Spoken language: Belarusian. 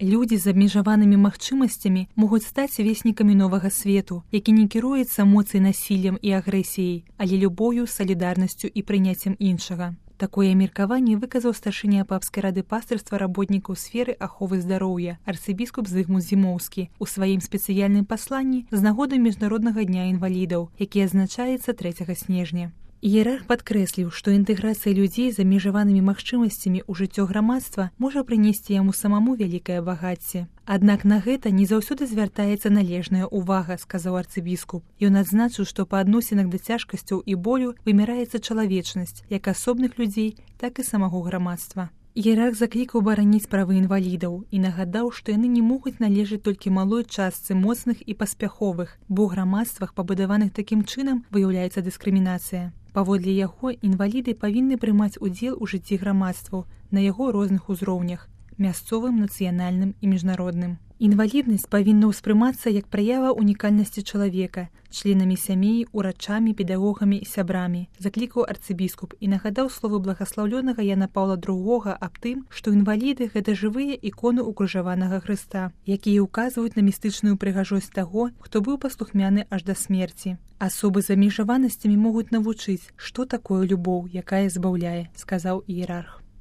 Людзі з абмежаванымі магчымасцямі могуць стаць веснікамі новага свету, які не кіруецца моцай насіллем і агрэсіяй, але любоўю, салідарнасцю і прыняццем іншага. Такое меркаванне выказаў старшыня папскай рады пастырства работнікаў сферы аховы здароўя арцыбіскуп Зыгмунд Зімоўскі у сваім спецыяльным пасланні з нагоды міжнароднага дня інвалідаў, які адзначаецца 3 снежня. Іерарх падкрэсліў, што інтэграцыя людзей з абмежаванымі магчымасцямі ў жыццё грамадства можа прынесці яму самому вялікае багацце. Аднак на гэта не заўсёды звяртаецца належная ўвага, сказаў арцыбіскуп. Ён адзначыў, што па адносінах да цяжкасцяў і болю вымяраецца чалавечнасць як асобных людзей, так і самого грамадства. Іерарх заклікаў бараніць правы інвалідаў і нагадаў, што яны не могуць належаць толькі малой частцы моцных і паспяховых, бо ў грамадствах, пабудаваных такім чынам, выяўляецца дыскрымінацыя. Паводле яго, інваліды павінны прымаць удзел у жыцці грамадстваў на яго розных узроўнях – мясцовым, нацыянальным і міжнародным. Інваліднасць павінна ўспрымацца як праява унікальнасці чалавека, членамі сямей, урачамі, педагогамі і сябрамі, заклікаў арцыбіскуп і нагадаў словы благаслаўлёнага Яна Паўла II аб тым, што інваліды – гэта жывыя іконы укрыжаванага Хрыста, якія ўказваюць на містычную прыгажосць таго, хто быў паслухмяны аж да смерці. Асобы з абмежаванасцямі могуць навучыць, што такое любоў, якая збаўляе, сказаў іерарх.